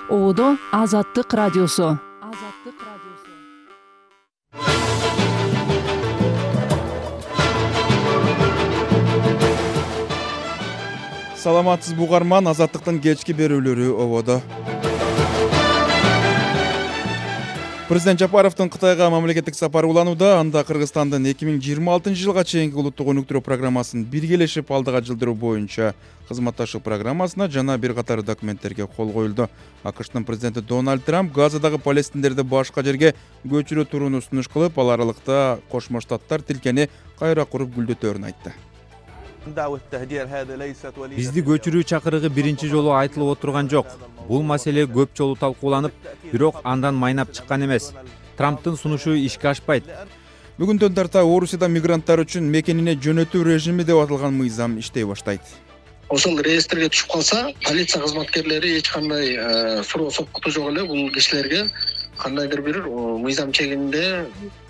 Одо Азаттык радиосу. Саламатсыз угарман, Азаттыктын кечки берүүлөрү ободо. Президент Жапаровдун Кытайга мамлекеттик сапары уланууда. Анда Кыргызстандын 2026-жылга чейинки улуттук өнүктүрүү программасын биргелешип алдыга жылдыруу боюнча кызматташуу программасына жана бир катар документтерге кол коюлду. АКШтын президенти Дональд Трамп Газадагы палестиндерди башка жерге көчүрө турууну сунуш кылып, ал аралыкта Кошмо Штаттар тилкени кайра куруп гүлдөтөөрүн айтты. Бизди көчүрүү чакырыгы биринчи жолу айтылып отурган жок. Бул маселе көп жолу талкууланып, бирок андан майнап чыккан эмес. Трамптын сунушу ишке ашпайт. Бүгүндөн тарта Орусияда мигранттар үчүн мекенине жөнөтүү режими деп аталган мыйзам иштей баштайт. Ошол реестрге түшүп калса, полиция кызматкерлери эч кандай суроо сопкуту жок эле бул кишилерге кандайдыр бир мыйзам чегинде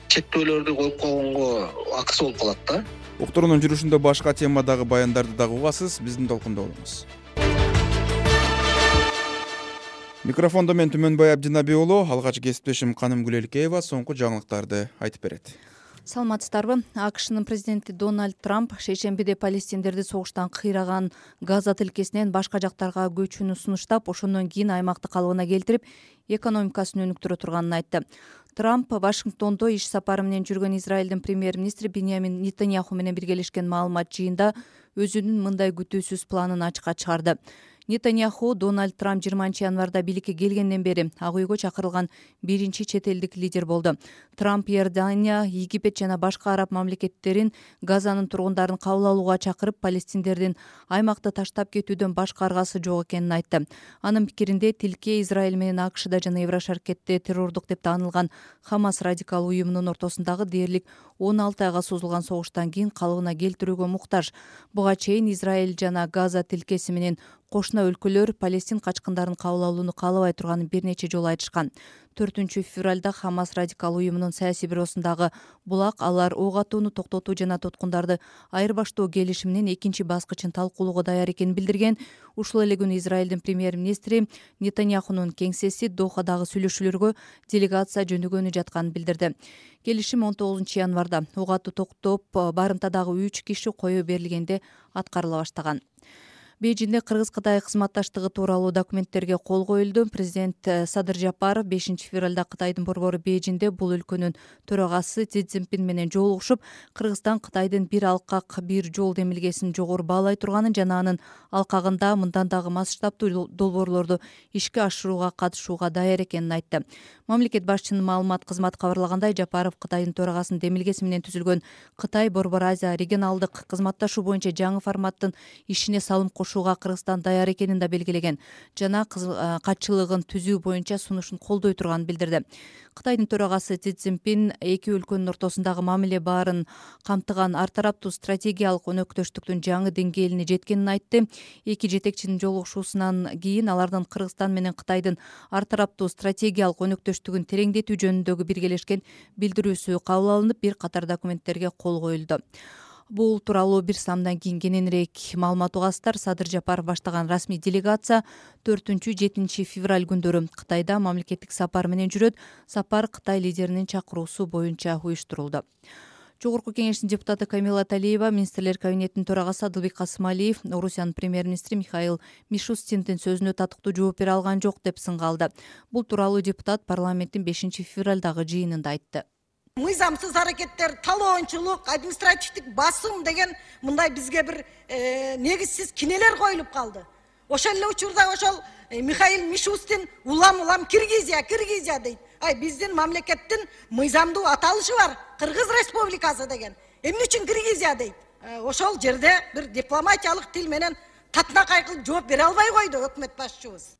чектөөлөрдү коюп койгонго акысы болуп калат да. Уктуруунун жүрүшүндө башка темадагы баяндарды дагы угасыз, биздин толкунда болуңуз. Микрофондо мен Түмөнбай Абдинаби уулу, алгач кесиптешим Каным Гүлелкеева соңку жаңылыктарды айтып берет. Саламатсыздарбы? АКШнын президенти Дональд Трамп шейшембиде палестиндерди согуштан кыйраган Газа тилкесинен башка жактарга көчүүнү сунуштап, ошондон кийин аймакты калыбына келтирип, экономикасын өнүктүрө турганын айтты. Трамп Вашингтондо иш сапары менен жүргөн Израилдин премьер-министри Биньямин Нетаньяху менен биргелешкен маалымат жыйында өзүнүн мындай күтүүсүз планын ачыкка чыгарды. Нетаньяху Дональд Трамп 20-январда бийликке келгенден бери Ак үйгө чакырылган биринчи чет элдик лидер болду. Трамп Иордания, Египет жана башка араб мамлекеттерин Газанын тургундарын кабыл алууга чакырып, палестиндердин аймакты таштап кетүүдөн башка аргасы жок экенин айтты. Анын пикиринде тилке Израиль менен АКШда жана Еврошаркетте террордук деп таанылган Хамас радикал уюмунун ортосундагы дээрлик 16 айга созулган согуштан кийин калыбына келтирүүгө муктаж. Буга чейин Израиль жана Газа тилкеси менен кошуна өлкөлөр Палестин качкындарын кабыл алууну каалабай турганын бир нече жолу айтышкан. 4-февралда Хамас радикал уюмунун саясий бюросундагы булак алар ок атууну токтотуу жана туткундарды айырбаштоо келишиминин экинчи баскычын талкуулоого даяр экенин билдирген. Ушул эле күнү Израилдин премьер-министри Нетаньяхунун кеңсеси Дохадагы сүйлөшүүлөргө делегация жөнөгөнү жатканын билдирди. Келишим 19-январда ок атуу токтоп, барымтадагы 3 киши коюу берилгенде аткарыла баштаган. Бейжиңде Кыргыз-Кытай кызматташтыгы тууралуу документтерге кол коюлду. Президент Садыр Жапаров 5-февралда Кытайдын борбору Бейжиңде бул өлкөнүн төрагасы Си Цзиньпин менен жолугушуп, Кыргызстан Кытайдын бир алкак бир жол демилгесин жогору баалай турганын жана анын алкагында мындан дагы масштабтуу долбоорлорду ишке ашырууга катышууга даяр экенин айтты. Мамлекет башчынын маалымат кызматы кабарлагандай, Жапаров Кытайдын төрагасынын демилгеси менен түзүлгөн Кытай Борбор Азия регионалдык кызматташуу боюнча жаңы форматтын ишине салым кошууга Кыргызстан даяр экенин да белгилеген жана катчылыгын түзүү боюнча сунушун колдой турганын билдирди. Кытайдын төрагасы Си Цзиньпин эки өлкөнүн ортосундагы мамиле баарын камтыган ар тараптуу стратегиялык өнөктөштүктүн жаңы деңгээлине жеткенин айтты. Эки жетекчинин жолугушуусунан кийин алардын Кыргызстан менен Кытайдын ар тараптуу стратегиялык өнөктөштүгүн тереңдетүү жөнүндөгү биргелешкен билдирүүсү кабыл алынып, бир катар документтерге кол коюлду. Бул тууралуу бир самдан кийин кененирээк маалымат угасыздар. Садыр Жапаров баштаган расмий делегация 4-7 февраль күндөрү Кытайда мамлекеттик сапар менен жүрөт. Сапар Кытай лидеринин чакыруусу боюнча уюштурулду. Жогорку кеңештин депутаты Камила Талиева, министрлер кабинетинин төрагасы Адылбек Касымалиев, Орусиянын премьер-министри Михаил Мишустиндин сөзүнө татыктуу жооп бере алган жок деп сынга алды. Бул тууралуу депутат парламенттин 5-февралдагы жыйынында айтты. Мыйзамсыз аракеттер, талоончулук, административдик басым деген мындай бизге бир негизсиз кинелер коюлуп калды. Ошол эле учурда ошол Михаил Мишустин улам Киргизия дейт. Биздин мамлекеттин мыйзамдуу аталышы бар, Кыргыз Республикасы деген. Эмне үчүн Киргизия дейт? Ошол жерде бир дипломатиялык тил менен татынакай кылып жооп бере албай койду өкмөт башчыбыз.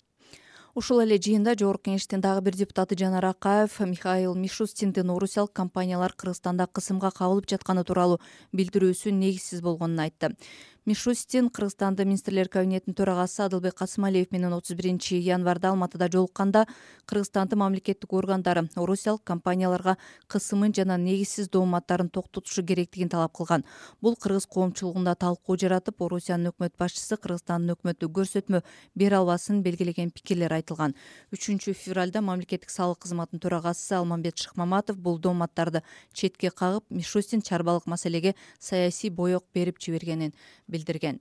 Ушул эле жыйында жогорку кеңештин дагы бир депутаты Жанар Акаев Михаил Мишустиндин орусиялык компаниялар Кыргызстанда кысымга кабылып жатканы тууралуу билдирүүсү негизсиз болгонун айтты. Мишустин Кыргызстандын министрлер кабинетинин төрагасы Адылбек Касымалиев менен 31 январда Алматыда жолукканда Кыргызстандын мамлекеттик органдары орусиялык компанияларга кысымын жана негизсиз дооматтарын токтотушу керектигин талап кылган. Бул кыргыз коомчулугунда талкуу жаратып, Орусиянын өкмөт башчысы Кыргызстандын өкмөтү көрсөтмө бере албасын белгилеген пикирлер айтылган. 3 февралда мамлекеттик салык кызматынын төрагасы Алмамбет Шыкмаматов бул дооматтарды четке кагып, Мишустин чарбалык маселеге саясий боек берип жибергенин билдирген.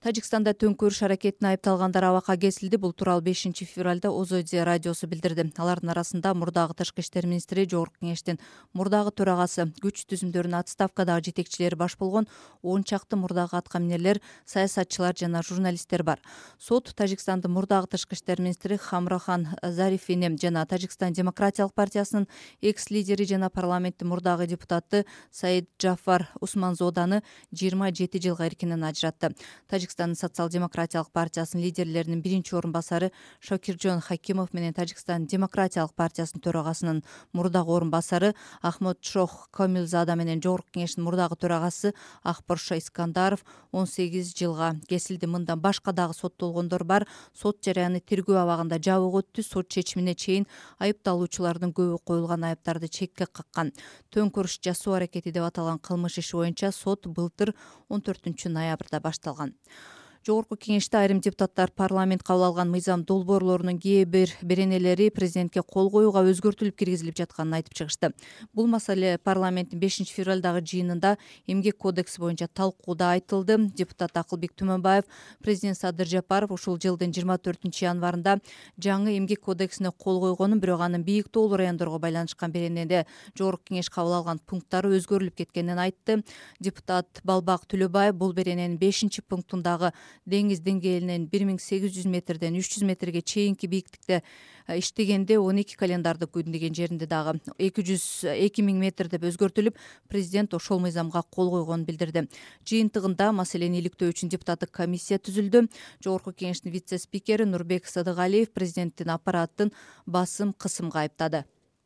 Тажикстанда төңкөрүш аракетине айыпталгандар абакка кесилди. Бул тууралуу 5 февралда Озоди радиосу билдирди. Алардын арасында мурдагы тышкы иштер министри, Жогорку кеңештин мурдагы төрагасы, күч түзүмдөрүнүн отставкадагы жетекчилери баш болгон 10 чакты мурдагы аткаминерлер, саясатчылар жана журналисттер бар. Сот Тажикстандын мурдагы тышкы иштер министри Хамрахан Зарифини жана Тажикстан демократиялык партиясынын экс-лидери жана парламенттин мурдагы депутаты Саид Джафар Усманзоданы 27 жылга эркинен ажыратты. Тажикстандын социал-демократиялык партиясынын лидерлеринин биринчи орун басары Шокиржон Хакимов менен Тажикстан демократиялык партиясынын төрагасынын мурдагы орун басары Ахмад Шох Камилзада менен Жогорку кеңештин мурдагы төрагасы Акбарша Искандаров 18 жылга кесилди. Мындан башка дагы соттолгондор бар. Сот жараяны тергөө абагында жабык өттү. Сот чечимине чейин айыпталуучулардын көбү коюлган айыптарды чекке каккан. Төңкөрүш жасоо аракети деп аталган кылмыш иши боюнча сот былтыр 14 ноябрда башталган. Жогорку кеңеште айрым депутаттар парламент кабыл алган мыйзам долбоорлорунун кээ бир беренелери президентке кол коюуга өзгөртүлүп киргизилип жатканын айтып чыгышты. Бул маселе парламенттин 5 февралдагы жыйынында эмгек кодекси боюнча талкууда айтылды. Депутат Акылбек Түмөнбаев, президент Садыр Жапаров ушул жылдын 24 январында жаңы эмгек кодексине кол койгонун, бирок анын бийик тоолуу райондорго байланышкан беренеде Жогорку кеңеш кабыл алган пункттары өзгөрүлүп кеткенин айтты. Депутат Балбак Түлөбаев бул берененин 5 пунктундагы деңиз деңгээлинен 1800 метрден 300 метрге чейинки бийиктикте иштегенде 12 календарда күн деген жеринде дагы 2000 метр деп өзгөртүлүп, президент ошол мыйзамга кол койгонун билдирди. Жыйынтыгында маселени иликтөө үчүн депутаттык комиссия түзүлдү. Жогорку кеңештин вице-спикери Нурбек Садыгалиев президенттин аппаратын басым-кысымга айыптады.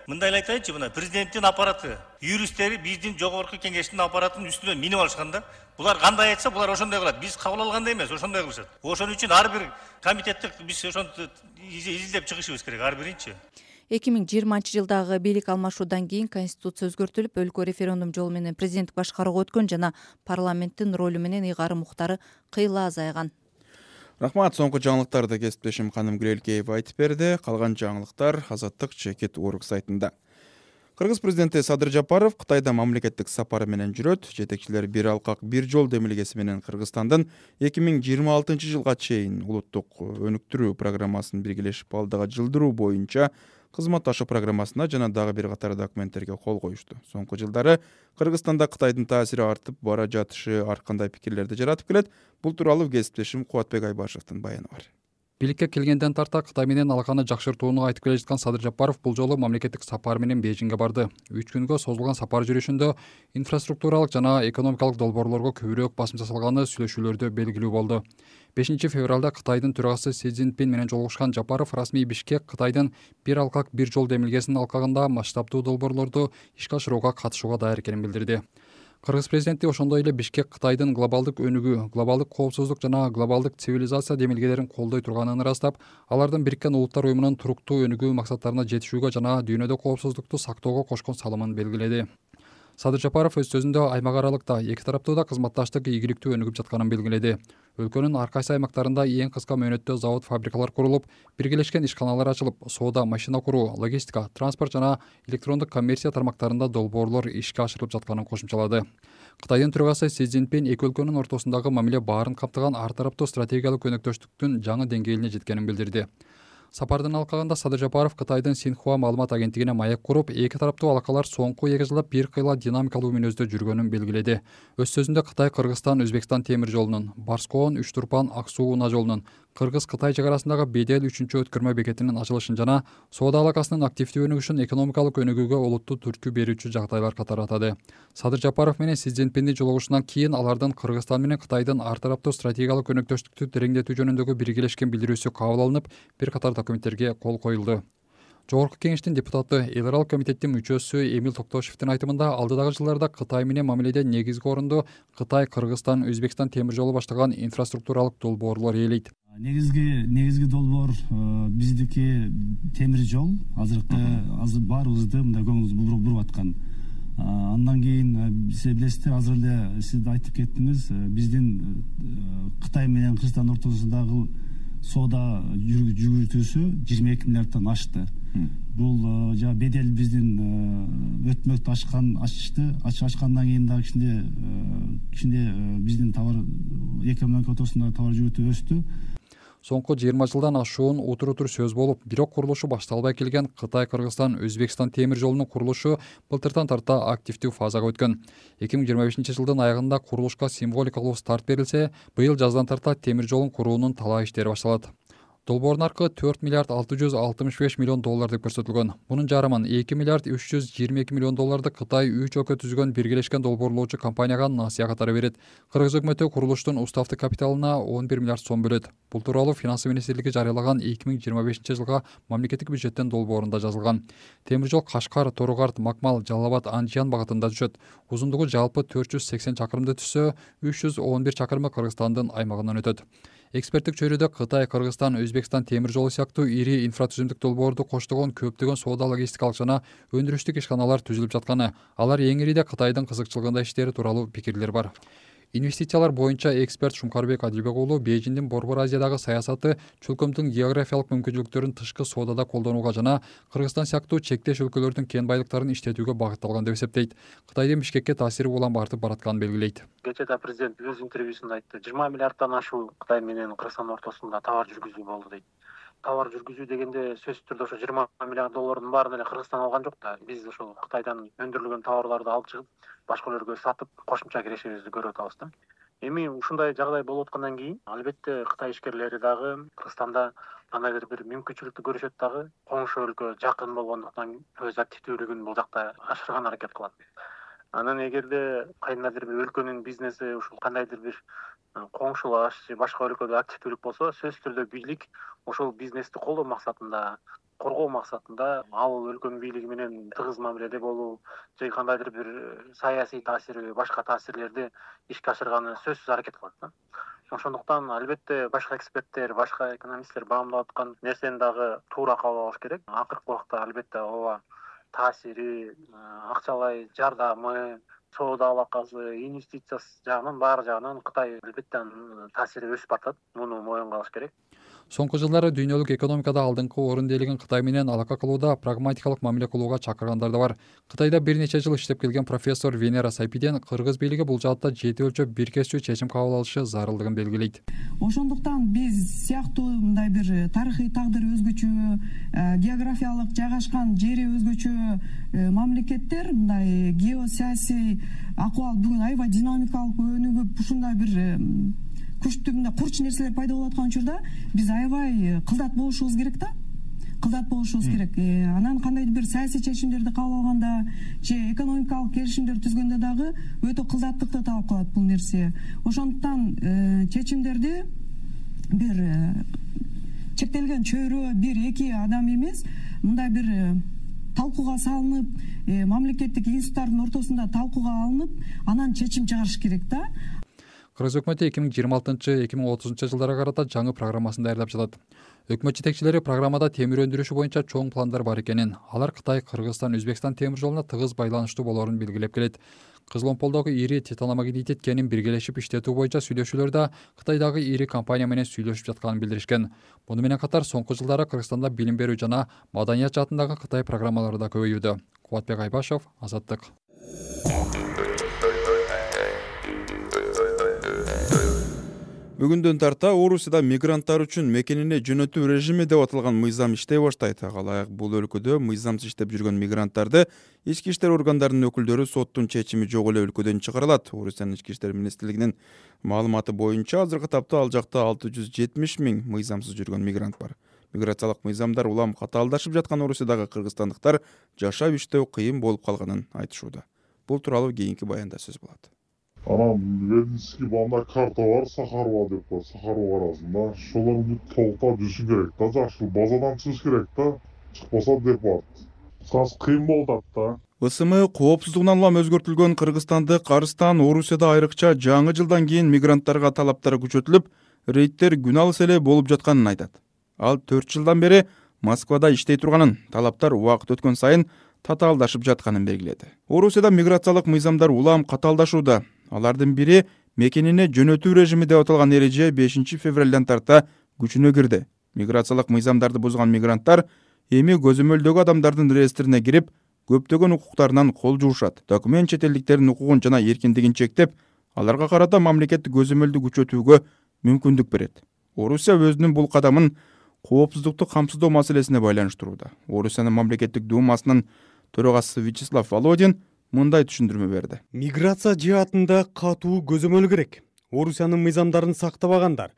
Мындай айтайынчы, мына президенттин аппараты, юристтери биздин жогорку кеңештин аппаратынын үстүнө минип алышканда, булар кандай айтса, булар ошондой кылат. Биз кабыл алгандай эмес, ошондой кылышат. Ошон үчүн ар бир комитеттик биз ошону изилдеп чыгышыбыз керек, ар биринчи. 2020 жылдагы бийлик алмашуудан кийин конституция өзгөртүлүп, өлкө референдум жолу менен президенттик башкарууга өткөн жана парламенттин ролу менен ыйгары муктары кыйла азайган. Рахмат, соңку жаңылыктарды кесиптешим Ханым Гүлелкеева айтып берди. Калган жаңылыктар Азаттык Чекит Орг сайтында. Кыргыз президенти Садыр Жапаров Кытайда мамлекеттик сапары менен жүрөт. Жетекчилер бир алкак бир жол демилгеси менен Кыргызстандын 2026 жылга чейин улуттук өнүктүрүү программасын биргелешип алдыга жылдыруу боюнча кызматташуу программасына жана дагы бир катар документтерге кол коюшту. Соңку жылдары Кыргызстанда Кытайдын таасири артып бара жатышы ар кандай пикирлерди жаратып келет. Бул тууралуу кесиптешим Кубатбек Айбашевдин баяны бар. Бийликке келгенден тарта Кытай менен алаканы жакшыртууну айтып келе жаткан Садыр Жапаров бул жолу мамлекеттик сапар менен Бейжиңге барды. 3 күнгө созулган сапар жүрүшүндө инфраструктуралык жана экономикалык долбоорлорго көбүрөөк басым жасалганы сүйлөшүүлөрдө белгилүү болду. 5 февралда Кытайдын төрагасы Си Цзиньпин менен жолугушкан Жапаров расмий Бишкек Кытайдын бир алкак бир жол демилгесинин алкагында масштабдуу долбоорлорду ишке ашырууга катышууга даяр экенин билдирди. Кыргыз президенти ошондой эле Бишкек Кытайдын глобалдык өнүгүү, глобалдык коопсуздук жана глобалдык цивилизация демилгелерин колдой турганын ырастап, алардын Бириккен Улуттар уюмунун туруктуу өнүгүү максаттарына жетишүүгө жана дүйнөдө коопсуздукту сактоого кошкон салымын белгиледи. Садыр Жапаров өз сөзүндө аймак аралыкта эки тараптуу да кызматташтык ийгиликтүү өнүгүп жатканын белгиледи. Өлкөнүн ар кайсы аймактарында эң кыска мөөнөттө завод, фабрикалар курулуп, биргелешкен ишканалар ачылып, соода, машина куруу, логистика, транспорт жана электрондук коммерция тармактарында долбоорлор ишке ашырылып жатканын кошумчалады. Кытайдын төрагасы Си Цзиньпин эки өлкөнүн ортосундагы мамиле баарын камтыган ар тараптуу стратегиялык өнөктөштүктүн жаңы деңгээлине жеткенин билдирди. Сапардын алкагында Садыр Жапаров Кытайдын Синхуа маалымат агенттигине маек куруп, эки тараптуу алакалар соңку 2 жылда бир кыйла динамикалуу мүнөздө жүргөнүн белгиледи. Өз сөзүндө Кытай Кыргызстан Өзбекстан темир жолунун, Барскоон Үч Турпан Ак-Суу Унаа жолунун, Кыргыз-Кытай чек арасындагы Бедел 3-өткөрмө бекетинин ачылышын жана соода алакасынын активдүү өнүгүшүн экономикалык өнүгүүгө олуттуу түрткү берүүчү жагдайлар катары атады. Садыр Жапаров менен Си Цзиньпиндин жолугушунан кийин алардын Кыргызстан менен Кытайдын ар тараптуу стратегиялык өнөктөштүктү тереңдетүү жөнүндөгү биргелешкен билдирүүсү кабыл алынып, бир катар документтерге кол коюлду. Жогорку кеңештин депутаты, эл аралык комитеттин мүчөсү Эмил Токтошевдин айтымында алдыдагы жылдарда Кытай менен мамиледе негизги орунду Кытай, Кыргызстан, Өзбекстан темир жолу баштаган инфраструктуралык долбоорлор ээлейт. Негизги долбоор биздики темир жол. Азыр баарыбызды мындай көңүлүбүз буруп аткан. Андан кийин сиз билесиздер, азыр эле сиз айтып кеттиңиз, биздин Кытай менен Кыргызстан ортосундагы соода жүгүртүүсү 22 миллиарддан ашты. Бул бедел биздин өтмөктү ачкандан кийин да кичине биздин товар эки мамлекет ортосундагы товар жүгүртүү өстү. Соңку 20 жылдан ашуун утур сөз болуп, бирок курулушу башталбай келген Кытай, Кыргызстан, Өзбекстан темир жолунун курулушу былтыртан тарта активдүү фазага өткөн. 2025-жылдын аягында курулушка символикалуу старт берилсе, быйыл жаздан тарта темир жолун куруунун талаа иштери башталат. Долбоордун наркы 4 миллиард 665 миллион доллар деп көрсөтүлгөн. Мунун жарымын 2 миллиард 322 миллион долларды Кытай 3 өлкө түзгөн биргелешкен долбоорлоочу компанияга насыя катары берет. Кыргыз өкмөтү курулуштун уставдык капиталына 11 миллиард сом бөлөт. Бул тууралуу Финансы министрлиги жарыялаган 2025-жылга мамлекеттик бюджеттин долбоорунда жазылган. Темир жол Кашкар, Торугарт, Макмал, Жалал Абад, Андижан багытында түшөт. Узундугу жалпы 480 чакырымды түзсө, 311 чакырымы Кыргызстандын аймагынан өтөт. Эксперттик чөйрөдө Кытай, Кыргызстан, Өзбекстан темир жолу сыяктуу ири инфратүзүмдүк долбоорду коштогон көптөгөн соода логистикалык жана өндүрүштүк ишканалар түзүлүп жатканы, алар эң ириде Кытайдын кызыкчылыгында иштери тууралуу пикирлер бар. Инвестициялар боюнча эксперт Шумкарбек Адилбек уулу Бейжиңдин Борбор Азиядагы саясаты чөлкөмдүн географиялык мүмкүнчүлүктөрүн тышкы соодада колдонууга жана Кыргызстан сыяктуу чектеш өлкөлөрдүн кен байлыктарын иштетүүгө багытталган деп эсептейт. Кытайдын Бишкекке таасири улам артып баратканын белгилейт. Кечээ президент өз интервьюсунда айтты, 20 миллиарддан ашуу Кытай менен Кыргызстан ортосунда товар жүргүзүү болду дейт. Товар жүргүзүү дегенде сөзсүз түрдө ошо 20 миллиард доллардын баарын эле Кыргызстан алган жок да. Биз ошол Кытайдан өндүрүлгөн товарларды алып чыгып, башка өлкөлөргө сатып, кошумча кирешибизди көрүп атабыз да. Эми ушундай жагдай болуп аткандан кийин, албетте Кытай ишкерлери дагы Кыргызстанда кандайдыр бир мүмкүнчүлүктү көрүшөт дагы, коңшу өлкө жакын болгондуктан өз активдүүлүгүн бул жакта ашырган аракет кылат. Анан эгерде кайдандыр бир өлкөнүн бизнеси ушул кандайдыр бир коңшулаш же башка өлкөдө активдүүлүк болсо, сөзсүз түрдө бийлик ошол бизнести колдоо максатында, коргоо максатында ал өлкөнүн бийлиги менен тыгыз мамиледе болуу же кандайдыр бир саясий таасири, башка таасирлерди ишке ашырганы сөзсүз аракет кылат да. Ошондуктан албетте башка эксперттер, башка экономисттер баамдап аткан нерсени дагы туура кабыл алыш керек. Акыркы убакта албетте ооба таасири, акчалай жардамы, соода алакасы, инвестициясы жагынан баары жагынан Кытай албетте таасири өсүп атат. Муну моюнга алыш керек. Соңку жылдары дүйнөлүк экономикада алдыңкы орунду ээлеген Кытай менен алака кылууда прагматикалык мамиле кылууга чакыргандар да бар. Кытайда бир нече жыл иштеп келген профессор Венера Сайпиден кыргыз бийлиги бул жаатта жети өлчөп бир кесчүү чечим кабыл алышы зарылдыгын белгилейт. Ошондуктан биз сыяктуу мындай бир тарыхый тагдыры өзгөчө, географиялык жайгашкан жери өзгөчө мамлекеттер мындай геосаясий акыбал бүгүн аябай динамикалык өнүгүп, ушундай бир күчтүү мындай курч нерселер пайда болуп аткан учурда биз аябай кылдат болушубуз керек да. Анан кандайдыр бир саясий чечимдерди кабыл алганда же экономикалык келишимдер түзгөндө дагы өтө кылдаттыкты талап кылат бул нерсе. Ошондуктан чечимдерди бир чектелген чөйрө, бир эки адам эмес, мындай бир талкууга салынып, мамлекеттик институттардын ортосунда талкууга алынып, анан чечим чыгарыш керек да. Кыргыз өкмөтү 2026-2030 жылдарга карата жаңы программасын даярдап жатат. Өкмөт жетекчилери программада темир өндүрүшү боюнча чоң пландар бар экенин, алар Кытай, Кыргызстан, Өзбекстан темир жолуна тыгыз байланыштуу болоорун белгилеп келет. Кызыл омполдогу ири титаномагнетит кенин биргелешип иштетүү боюнча сүйлөшүүлөрдө Кытайдагы ири компания менен сүйлөшүп жатканын билдиришкен. Муну менен катар соңку жылдары Кыргызстанда билим берүү жана маданият жаатындагы Кытай программалары да көбөйүүдө. Кубатбек Айбашев, Азаттык. Бүгүндөн тарта Орусияда мигранттар үчүн мекенине жөнөтүү режими деп аталган мыйзам иштей баштайт. Ага бул өлкөдө мыйзамсыз иштеп жүргөн мигранттарды ички иштер органдарынын өкүлдөрү соттун чечими жок эле өлкөдөн чыгарылат. Орусиянын ички иштер министрлигинин маалыматы боюнча азыркы тапта ал жакта 670 000 мыйзамсыз жүргөн мигрант бар. Миграциялык мыйзамдар улам катаалдашып жаткан Орусиядагы кыргызстандыктар жашап иштөө кыйын болуп калганын айтышууда. Бул тууралуу кийинки баянда сөз болот. Анан Вединский бална карта бар, Сахарова деп бар, Сахарова арасында. Шолорду толуктап жүрүш керек да, жакшы базадан чыгыш керек да. чыкпаса деп атат. Кыйын болуп атат да. ысымы коопсуздугунан улам өзгөртүлгөн Кыргызстандык Арыстан Орусияда айрыкча жаңы жылдан кийин мигранттарга талаптары күчөтүлүп, рейдтер күн алыс эле болуп жатканын айтат. Ал 4 жылдан бери Москвада иштей турганын, талаптар убакыт өткөн сайын татаалдашып жатканын белгиледи. Орусияда миграциялык мыйзамдар улам катаалдашууда. Алардын бири мекенине жөнөтүү режими деп аталган эреже 5 февралдан тарта күчүнө кирди. Миграциялык мыйзамдарды бузган мигранттар эми көзөмөлдөгү адамдардын реестрине кирип, көптөгөн укуктарынан кол жуушат. Документ чет элдиктердин укугун жана эркиндигин чектеп, аларга карата мамлекеттик көзөмөлдү күчөтүүгө мүмкүндүк берет. Орусия өзүнүн бул кадамын коопсуздукту камсыздоо маселесине байланыштырууда. Орусиянын мамлекеттик думасынын төрагасы Вячеслав Володин мындай түшүндүрмө берди. Миграция жаатында катуу көзөмөл керек. Орусиянын мыйзамдарын сактабагандар,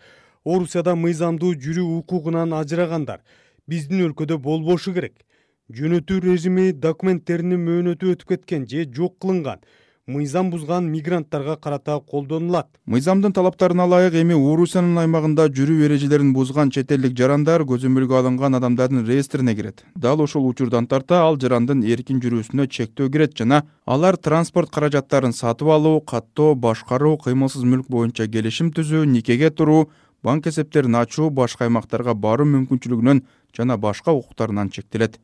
Орусияда мыйзамдуу жүрүү укугунан ажырагандар биздин өлкөдө болбошу керек. Жөнөтүү режими документтеринин мөөнөтү өтүп кеткен же жок кылынган, мыйзам бузган мигранттарга карата колдонулат. Мыйзамдын талаптарына ылайык эми Орусиянын аймагында жүрүү эрежелерин бузган чет элдик жарандар көзөмөлгө алынган адамдардын реестрине кирет. Дал ошол учурдан тарта ал жарандын эркин жүрүүсүнө чектөө кирет жана алар транспорт каражаттарын сатып алуу, каттоо, башкаруу, кыймылсыз мүлк боюнча келишим түзүү, никеге туруу, банк эсептерин ачуу, башка аймактарга баруу мүмкүнчүлүгүнөн жана башка укуктарынан чектелет.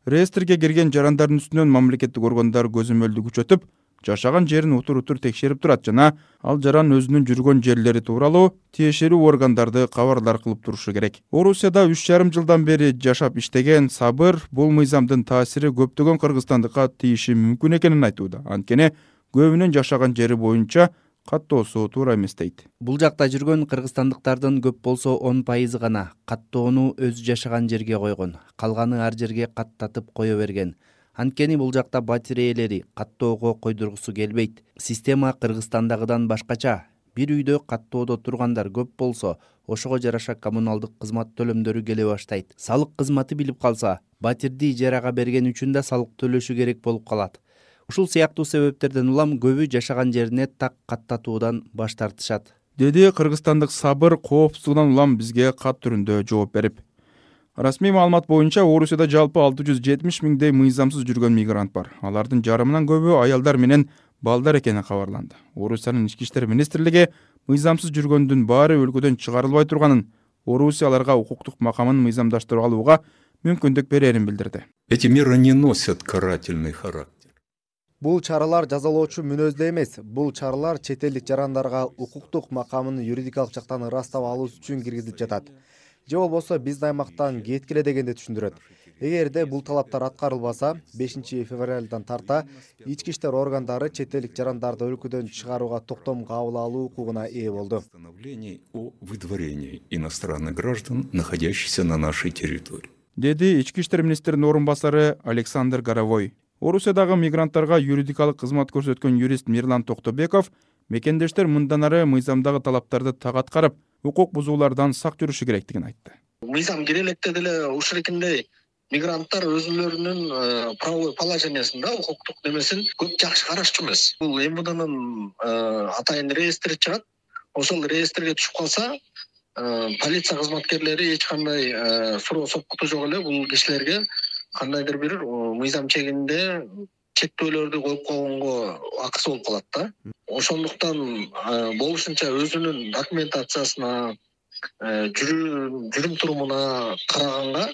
Реестрге кирген жарандардын үстүнөн мамлекеттик органдар көзөмөлдү күчөтүп, жашаган жерин утур-утур текшерип турат жана ал жаран өзүнүн жүргөн жерлери тууралуу тиешелүү органдарды кабардар кылып турушу керек. Орусияда 3,5 жылдан бери жашап иштеген Сабыр бул мыйзамдын таасири көптөгөн кыргызстандыкка тийиши мүмкүн экенин айтууда. Анткени көбүнүн жашаган жери боюнча каттоосу туура эмес дейт. Бул жакта жүргөн кыргызстандыктардын көп болсо 10% гана каттоону өзү жашаган жерге койгон, калганы ар жерге каттатып кое берген. Анткени бул жакта батир ээлери каттоого койдургусу келбейт. Система Кыргызстандагыдан башкача. Бир үйдө каттоодо тургандар көп болсо, ошого жараша коммуналдык кызмат төлөмдөрү келе баштайт. Салык кызматы билип калса, батирди ижарага берген үчүн да салык төлөшү керек болуп калат. Ушул сыяктуу себептерден улам көбү жашаган жерине так каттатуудан баш тартышат, деди кыргызстандык Сабыр коопсуздугунан улам бизге кат түрүндө жооп берип. Расмий маалымат боюнча Орусияда жалпы 670 миңдей мыйзамсыз жүргөн мигрант бар. Алардын жарымынан көбү аялдар менен балдар экени кабарланды. Орусиянын ички иштер министрлиги мыйзамсыз жүргөндүн баары өлкөдөн чыгарылбай турганын, Орусия аларга укуктук макамын мыйзамдаштырып алууга мүмкүндүк берерин билдирди. Эти меры не носят карательный характер. Бул чаралар жазалоочу мүнөздө эмес, бул чаралар чет элдик жарандарга укуктук макамын юридикалык жактан ырастап алуу үчүн киргизилип жатат. Же болбосо биздин аймактан кеткиле дегенди түшүндүрөт. Эгерде бул талаптар аткарылбаса, 5 февралдан тарта ички иштер органдары чет элдик жарандарды өлкөдөн чыгарууга токтом кабыл алуу укугуна ээ болду. О выдворении иностранных граждан, находящихся на нашей территории. Деди ички иштер министринин орун басары Александр Горовой. Орусиядагы мигранттарга юридикалык кызмат көрсөткөн юрист Мирлан Токтобеков мекендештер мындан ары мыйзамдагы талаптарды так аткарып, укук бузуулардан сак жүрүшү керектигин айтты. Мыйзам киреликте деле ушурекиндей мигранттар өзүлөрүнүн правовой положениясында укуктук немесин көп жакшы карашчу эмес. Бул МВДнын атайын реестри чыгат. Ошол реестрге түшүп калса, полиция кызматкерлери эч кандай суроо сопкуту жок эле бул кишилерге кандайдыр бир мыйзам чегинде чектөөлөрдү коюп койгонго акысы болуп калат да. Ошондуктан болушунча өзүнүн документациясына, жүрүм турумуна караганга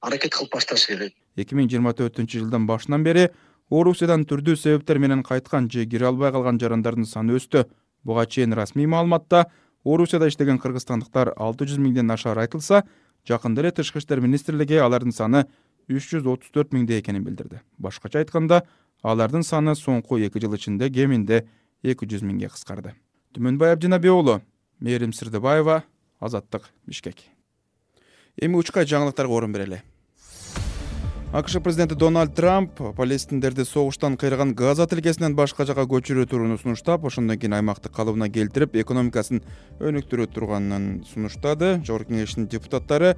аракет кылып башташ керек. 2024-жылдын башынан бери Орусиядан түрдүү себептер менен кайткан же кире албай калган жарандардын саны өстү. Буга чейин расмий маалыматта Орусияда иштеген кыргызстандыктар 600 миңден ашар айтылса, жакында эле Тышкы иштер министрлиги алардын саны 334 миңде экенин билдирди. Башкача айтканда, алардын саны соңку 2 жыл ичинде кеминде 200 миңге кыскарды. Түмөнбай Абдинабек уулу, Мээрим Сырдыбаева, Азаттык, Бишкек. Эми учка жаңылыктарга орун берели. АКШ президенти Дональд Трамп палестиндерди согуштан кыйраган Газа тилкесинен башка жакка көчүрүү турууну сунуштап, ошондон кийин аймакты калыбына келтирип, экономикасын өнүктүрө турганын сунуштады. Жогорку кеңештин депутаттары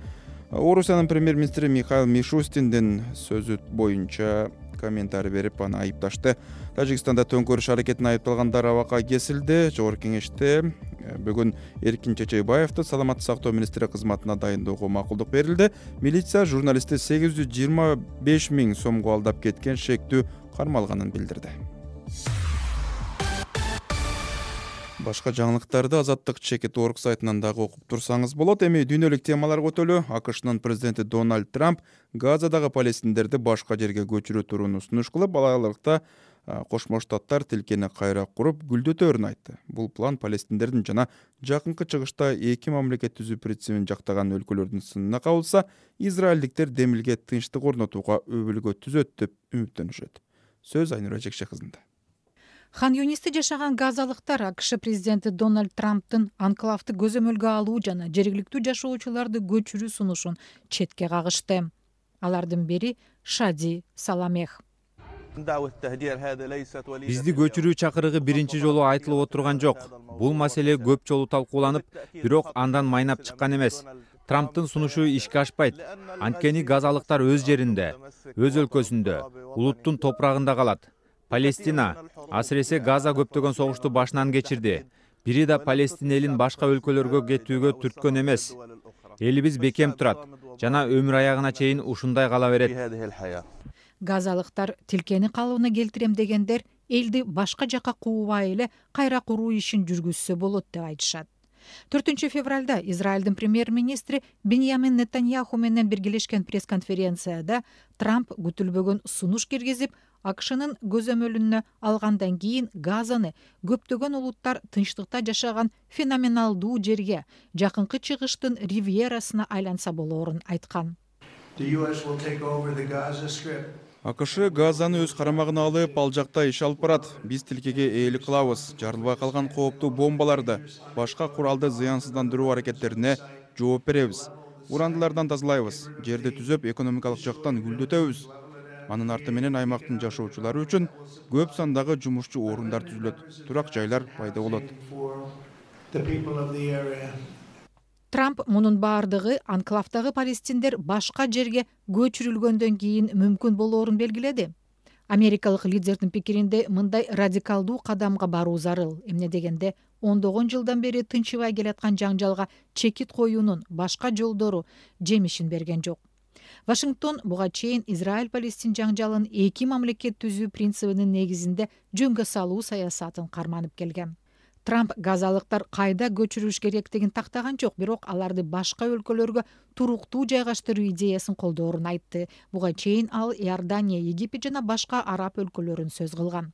Орусиянын премьер-министри Михаил Мишустиндин сөзү боюнча комментарий берип аны айыпташты. Тажикстанда төңкөрүш аракетине айыпталгандар абакка кесилди. Жогорку кеңеште бүгүн Эркин Чечейбаевди саламаттык сактоо министри кызматына дайындоого макулдук берилди. Милиция журналистти 825 000 сомго алдап кеткен шектүү кармалганын билдирди. Башка жаңылыктарды Азаттык Чекит.org сайтынан дагы окуп турсаңыз болот. Эми дүйнөлүк темалар көтөлү. AQShnын президенти Дональд Трамп Газадагы палестиндерди башка жерге көчүрүү турууну сунуш кылып, алалыкта Кошмо Штаттар тилкени кайра куруп гүлдөтөөрүн айтты. Бул план палестиндердин жана жакынкы чыгышта эки мамлекет түзүү принцибин жактаган өлкөлөрдүн сынына кабылса, израилдиктер демилге тынчтык орнотууга өбөлгө түзөт деп үмүттөнүшөт. Сөз Айнура Жекше кызында. Хан Юнисте жашаган газалыктар АКШ президенти Дональд Трамптын анклавды көзөмөлгө алуу жана жергиликтүү жашоочуларды көчүрүү сунушун четке кагышты. Алардын бири Шади Саламех. Бизди көчүрүү чакырыгы биринчи жолу айтылып отурган жок. Бул маселе көп жолу талкууланып, бирок андан майнап чыккан эмес. Трамптын сунушу ишке ашпайт. Анткени газалыктар өз жеринде, өз өлкөсүндө, улуттун топурагында калат. Палестина, асыресе Газа көптөгөн согушту башынан кечирди. Бири да Палестина элин башка өлкөлөргө кетүүгө түрткөн эмес. Элибиз бекем турат жана өмүр аягына чейин ушундай кала берет. Газалыктар тилкени калыбына келтирем дегендер элди башка жака куубай эле кайра куруу ишин жүргүзсө болот деп айтышат. 4 февралда Израилдин премьер-министри Биньямин Нетаньяху менен биргелешкен пресс-конференцияда Трамп күтүлбөгөн сунуш киргизип, AQShnын көзөмөлүнө алгандан кийин Газаны көптөгөн улуттар тынчтыкта жашаган феноменалдуу жерге, жакынкы чыгыштын ривьерасына айланса болоорун айткан. AQSh Газаны өз карамагына алып, ал жакта иш алып барат. Биз тилкеге ээлик кылабыз. Жарылбай калган кооптуу бомбаларды, башка куралды зыянсыздандыруу аракеттерине жооп беребиз. Урандылардан тазалайбыз. Жерди түзөп, экономикалык жактан гүлдөтөбүз. Анын арты менен аймактын жашоочулары үчүн көп сандагы жумушчу орундар түзүлөт, турак жайлар пайда болот. Трамп мунун баардыгы анклавдагы палестиндер башка жерге көчүрүлгөндөн кийин мүмкүн болоорун белгиледи. Америкалык лидердин пикиринде мындай радикалдуу кадамга баруу зарыл. Эмне дегенде, ондогон жылдан бери тынчыбай келаткан жаңжалга чекит коюунун башка жолдору жемишин берген жок. Вашингтон буга чейин Израиль-Палестин жаңжалын эки мамлекет түзүү принцибинин негизинде жөнгө салуу саясатын карманып келген. Трамп газалыктар кайда көчүрүш керектигин тактаган жок, бирок аларды башка өлкөлөргө туруктуу жайгаштыруу идеясын колдоорун айтты. Буга чейин ал Иордания, Египет жана башка араб өлкөлөрүн сөз кылган.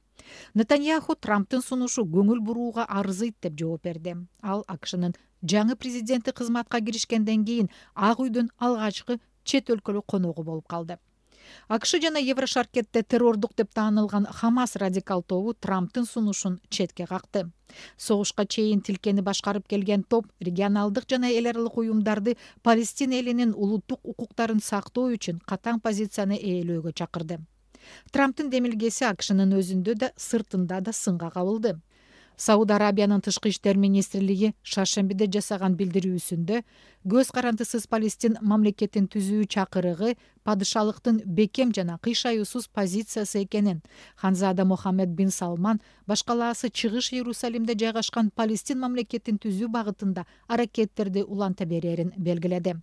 Нетаньяху Трамптын сунушу көңүл бурууга арзыйт деп жооп берди. Ал AQShnын жаңы президенти кызматка киришкенден кийин Ак үйдүн алгачкы чет өлкөлүк коногу болуп калды. AQSh жана Еврошаркетте террордук деп таанылган Хамас радикал тобу Трамптын сунушун четке какты. Согушка чейин тилкени башкарып келген топ регионалдык жана эл аралык уюмдарды Палестина элинин улуттук укуктарын сактоо үчүн катаң позицияны ээлөөгө чакырды. Трамптын демилгеси AQShnын өзүндө да, сыртында да сынга кабылды. Сауд Арабиянын тышкы иштер министрлиги шаршембиде жасаган билдирүүсүндө көз карандысыз Палестин мамлекетин түзүү чакырыгы падышалыктын бекем жана кыйшаюусуз позициясы экенин, Ханзада Мохаммед бин Салман башкалаасы чыгыш Иерусалимде жайгашкан Палестин мамлекетин түзүү багытында аракеттерди уланта берерин белгиледи.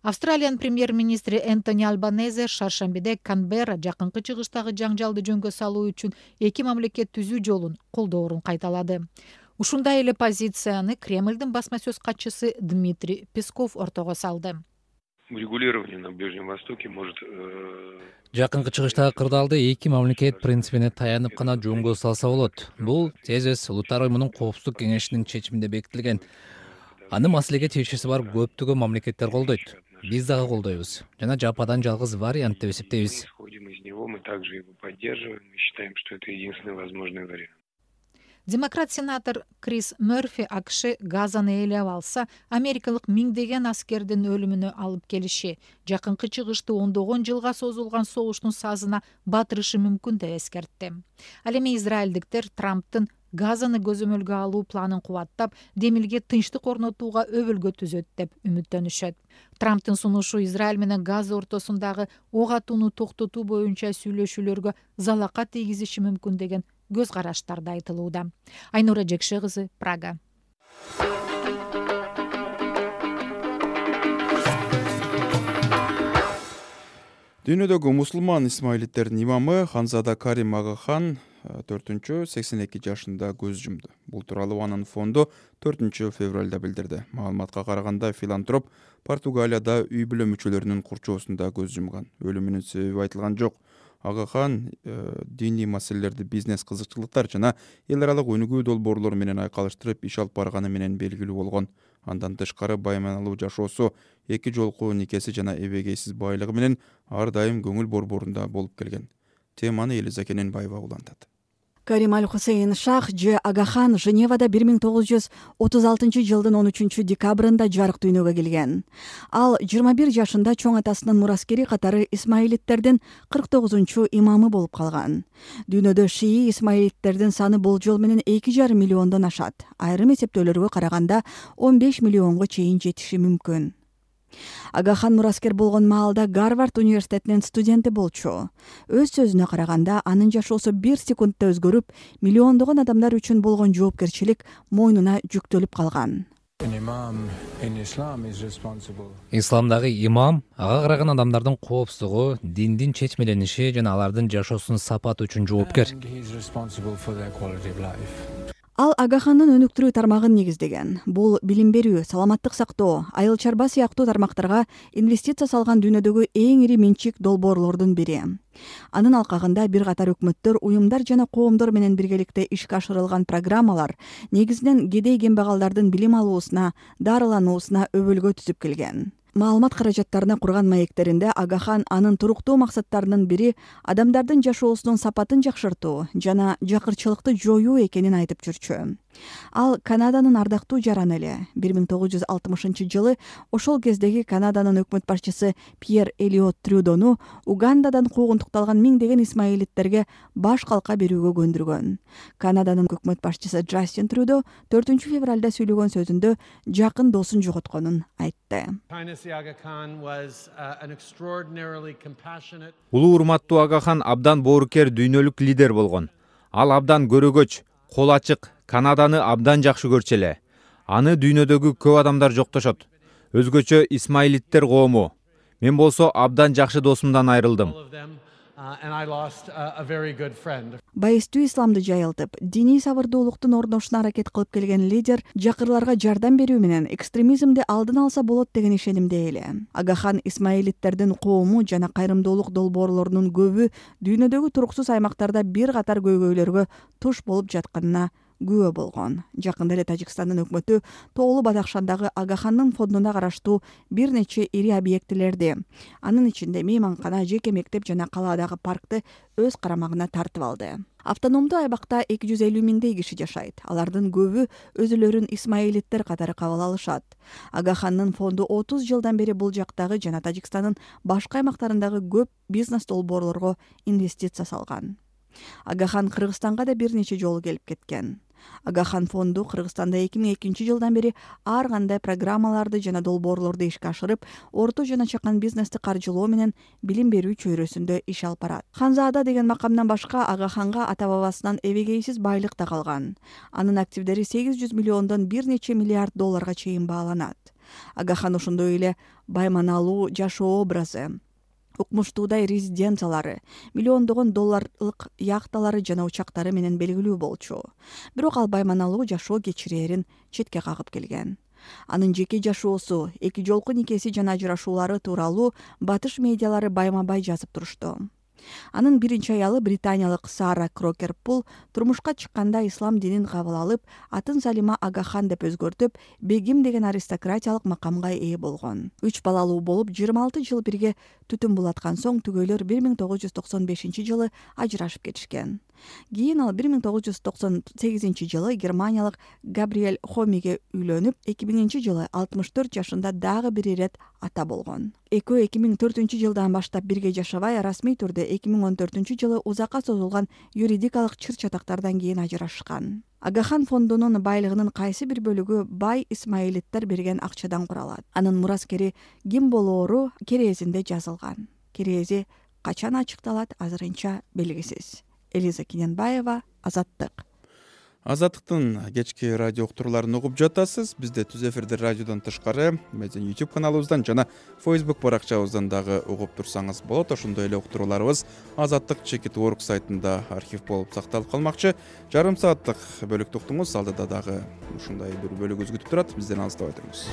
Австралиянын премьер-министри Энтони Албанезе шаршембиде Канберра жакынкы чыгыштагы жаңжалды жөнгө салуу үчүн эки мамлекет түзүү жолун колдоорун кайталады. Ушундай эле позицияны Кремлдин басма сөз катчысы Дмитрий Песков ортого салды. Урегулирование на Ближнем Востоке может жакынкы чыгыштагы кырдаалды эки мамлекет принцибине таянып гана жөнгө салса болот. Бул ТС Улуттар уюмунун коопсуздук кеңешинин чечиминде бекитилген. Аны маселеге тиешеси бар көптөгөн мамлекеттер колдойт. Биз дагы колдойбуз жана жападан жалгыз вариант деп эсептейбиз. Мы также его поддерживаем и считаем, что это единственный возможный вариант. Демократ-сенатор Крис Мерфи AQSh Газаны ээлеп алса, америкалык миңдеген аскердин өлүмүнө алып келиши, жакынкы чыгышты ондогон жылга созулган согуштун сазына батырышы мүмкүн деп эскертти. Ал эми израилдиктер Трамптын газаны көзөмөлгө алуу планын кубаттап, демилге тынчтык орнотууга өбөлгө түзөт деп үмүттөнүшөт. Трамптын сунушу Израиль менен Газа ортосундагы ок атууну токтотуу боюнча сүйлөшүүлөргө залака тийгизиши мүмкүн деген көз караштар да айтылууда. Айнура Жекше кызы, Прага. Дүйнөдөгү мусулман исмаилиттердин имамы Ханзада Карим Агахан 82 жашында көз жумду. Бул тууралуу анын фонду 4 февралда билдирди. Маалыматка караганда филантроп Португалияда үй бүлө мүчөлөрүнүн курчоосунда көз жумган. Өлүмүнүн себеби айтылган жок. Агахан диний маселелерди бизнес кызыкчылыктар жана эл аралык өнүгүү долбоорлору менен айкалыштырып иш алып барганы менен белгилүү болгон. Андан тышкары байманалуу жашоосу, 2 жолку никеси жана эбегейсиз байлыгы менен ар дайым көңүл борборунда болуп келген. Теманы Элиза Кененбаева улантат. Карим Аль-Хусейн Шах Ж. Агахан Женевада 1936 жылдын 13 декабрында жарык дүйнөгө келген. Ал 21 жашында чоң атасынын мураскери катары исмаилиттердин 49 имамы болуп калган. Дүйнөдө шии исмаилиттердин саны болжол менен 2,5 миллиондон ашат. Айрым эсептөөлөргө караганда 15 миллионго чейин жетиши мүмкүн. Агахан мураскер болгон маалда Гарвард университетинин студенти болчу. Өз сөзүнө караганда, анын жашоосу 1 секундда өзгөрүп, миллиондогон адамдар үчүн болгон жоопкерчилик мойнуна жүктөлүп калган. Исламдагы имам ага караган адамдардын коопсуздугу, диндин чечмелениши жана алардын жашоосунун сапаты үчүн жоопкер. Ал Агахандын өнүктүрүү тармагын негиздеген. Бул билим берүү, саламаттык сактоо, айыл чарба сыяктуу тармактарга инвестиция салган дүйнөдөгү эң ири менчик долбоорлордун бири. Анын алкагында бир катар өкмөттөр, уюмдар жана коомдор менен биргеликте ишке ашырылган программалар негизинен кедей кембагалдардын билим алуусуна, дарылануусуна өбөлгө түзүп келген. Маалымат каражаттарына курган маектеринде Агахан анын туруктуу максаттарынын бири адамдардын жашоосунун сапатын жакшыртуу жана жакырчылыкты жоюу экенин айтып жүрчү. Ал Канаданын ардактуу жараны эле. 1960 жылы ошол кездеги Канаданын өкмөт башчысы Пьер Элиот Трюдону Угандадан куугунтукталган миңдеген исмаилиттерге баш калка берүүгө көндүргөн. Канаданын өкмөт башчысы Джастин Трюдо 4 февралда сүйлөгөн сөзүндө жакын досун жоготконун айтты. Улуу урматтуу Агахан абдан боорукер дүйнөлүк лидер болгон. Ал абдан көрөгөч, кол ачык, Канаданы абдан жакшы көрчү эле. Аны дүйнөдөгү көп адамдар жоктошот. Өзгөчө исмаилиттер коому. Мен болсо абдан жакшы досумдан айрылдым. Байыстуу исламды жайылтып, диний сабырдуулуктун орношуна аракет кылып келген лидер жакырларга жардам берүү менен экстремизмди алдын алса болот деген ишенимде эле. Агахан исмаилиттердин коому жана кайрымдуулук долбоорлорунун көбү дүйнөдөгү туруксуз аймактарда бир катар көйгөйлөргө туш болуп жатканына күбө болгон. Жакында эле Тажикстандын өкмөтү Тоолуу Бадахшандагы Агахандын фондуна караштуу бир нече ири объектилерди, анын ичинде мейманкана, жеке мектеп жана калаадагы паркты өз карамагына тартып алды. Автономдуу айбакта 250 миңдей киши жашайт. Алардын көбү өзүлөрүн исмаилиттер катары кабыл алышат. Агахандын фонду 30 жылдан бери бул жактагы жана Тажикстандын башка аймактарындагы көп бизнес долбоорлорго инвестиция салган. Агахан Кыргызстанга да бир нече жолу келип кеткен. Агахан фонду Кыргызстанда 2002 жылдан бери ар кандай программаларды жана долбоорлорду ишке ашырып, орто жана чакан бизнести каржылоо менен билим берүү чөйрөсүндө иш алып барат. Ханзаада деген макамдан башка Агаханга ата бабасынан эбегейсиз байлык да калган. Анын активдери 800 миллиондон бир нече миллиард долларга чейин бааланат. Агахан ошондой эле байманалуу жашоо образы, укмуштуудай резиденциялары, миллиондогон долларлык яхталары жана учактары менен белгилүү болчу. Бирок ал байманалуу жашоо кечирээрин четке кагып келген. Анын жеке жашоосу, 2 жолку никеси жана ажырашуулары тууралуу батыш медиалары байма-бай жазып турушту. Анын биринчи аялы британиялык Сара Крокер-Пул турмушка чыкканда ислам динин кабыл алып, атын Салима Агахан деп өзгөртүп, бегим деген аристократиялык макамга ээ болгон. 3 балалуу болуп, 26 жыл бирге түтүн булаткан соң түгөйлөр 1995 жылы ажырашып кетишкен. Кийин ал 1998 жылы германиялык Габриэль Хомиге үйлөнүп, 2000 жылы 64 жашында дагы бир ирет ата болгон. Экөө 2004 жылдан баштап бирге жашабай, расмий түрдө 2014 жылы узакка созулган юридикалык чыр-чатактардан кийин ажырашкан. Агахан фондунун байлыгынын кайсы бир бөлүгү бай исмаилиттер берген акчадан куралат. Анын мураскери ким болоору керезинде жазылган. Керези качан ачыкталат азырынча белгисиз. Элиза Кененбаева, Азаттык. Азаттыктын кечки радио уктурууларын угуп жатасыз. Бизде түз эфирде радиодон тышкары биздин YouTube каналыбыздан жана Facebook баракчабыздан дагы угуп турсаңыз болот. Ошондой эле уктурууларыбыз azattik.org сайтында архив болуп сакталып калмакчы. Жарым сааттык бөлүктү уктуңуз, алдыда дагы ушундай бир бөлүк күтүп турат. Бизден алыстабай туруңуз.